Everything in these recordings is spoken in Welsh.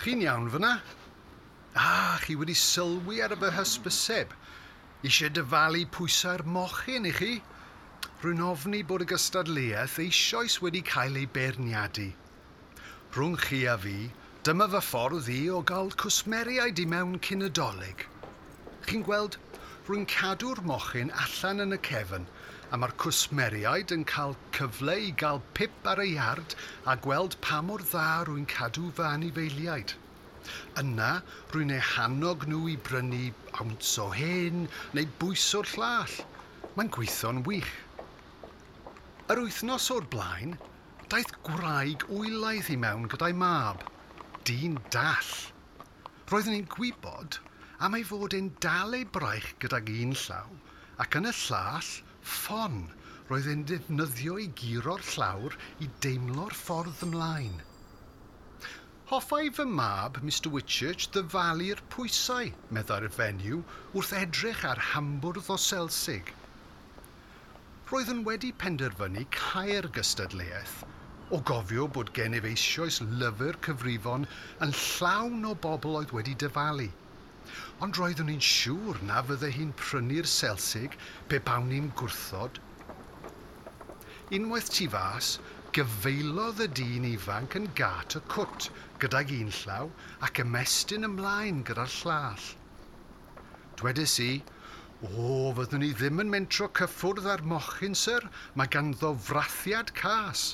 Chi'n iawn fyna? Ah, chi wedi sylwi ar fy hysbyseb. Eisiau dyfalu pwysau'r mochyn i chi? Rwy'n ofni bod y gystadleuaeth eisoes wedi cael ei beirniadu. Rhwng chi a fi, dyma fy ffordd i o gael cwsmeriaid i mewn cyn y Dolig. Chi'n gweld, rwy'n cadw'r mochyn allan yn y cefn, a mae'r cwsmeriaid yn cael cyfle i gael pip ar y iard a gweld pa mor dda rwy'n cadw fy anifeiliaid. Yna, rwy'n eu hannog nhw i brynu awns o hyn neu bwys o'r llall. Mae'n gweithio'n wych. Yr wythnos o'r blaen, daeth gwraig wylaidd i mewn gyda'i mab, dyn dall. Roeddwn i'n gwybod am ei fod e'n dal ei braich gydag un llaw, ac yn y llall, ffon, roedd e'n defnyddio i guro'r llawr i deimlo'r ffordd ymlaen. Hoffai fy mab, Mr Whitchurch, ddyfalu'r pwysau, meddai'r fenyw, wrth edrych ar hambwrdd o selsig. Roeddwn wedi penderfynu cau'r gystadleuaeth, o gofio bod gennyf eisoes lyfr cyfrifon yn llawn o bobl oedd wedi dyfalu. Ond roeddwn i'n siŵr na fydde hi'n prynu'r selsig pe bawn i'n gwrthod. Unwaith tu fas, gyfeilodd y dyn ifanc yn gât y cwt gydag un llaw ac ymestyn ymlaen gyda'r llall. Dwedais i, O, fyddwn i ddim yn mentro cyffwrdd â'r mochyn, syr, mae ganddo frathiad cas.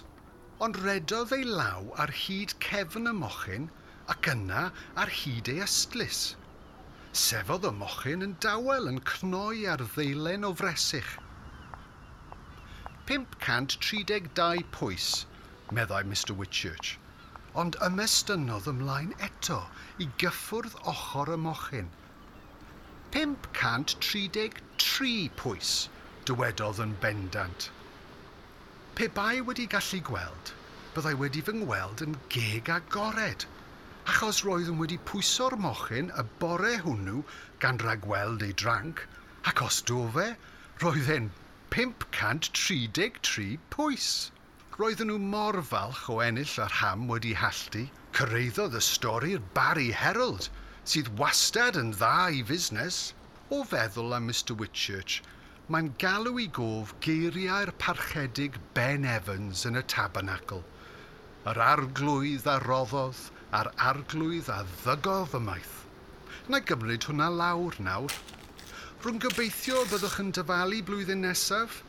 Ond redodd ei law ar hyd cefn y mochyn ac yna ar hyd ei ystlys. Sefodd y mochyn yn dawel yn cnoi ar ddeilen o fresych. 532 pwys, meddai Mr Whitchurch, ond ymestynnodd ymlaen eto i gyffwrdd ochr y mochyn. 533 pwys, dywedodd yn bendant. Pe bai wedi gallu gweld, byddai wedi fy ngweld yn geg agored, achos roeddwn wedi pwyso'r mochyn y bore hwnnw gan ragweld ei dranc, ac os do fe, roedd e'n 533 pwys. Roedden nhw mor falch o ennill yr ham wedi halltu, cyrhaeddodd y stori'r Barry Herald, sydd wastad yn dda i fusnes. O feddwl am Mr Whitchurch, mae'n galw i gof geiriau'r parchedig Ben Evans yn y Tabernacl. Yr arglwydd a roddodd, a'r arglwydd a ddygodd ymaith. Na gymryd hwnna lawr nawr. Rwy'n gobeithio y byddwch yn dyfalu blwyddyn nesaf.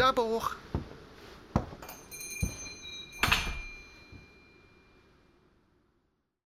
Da boch!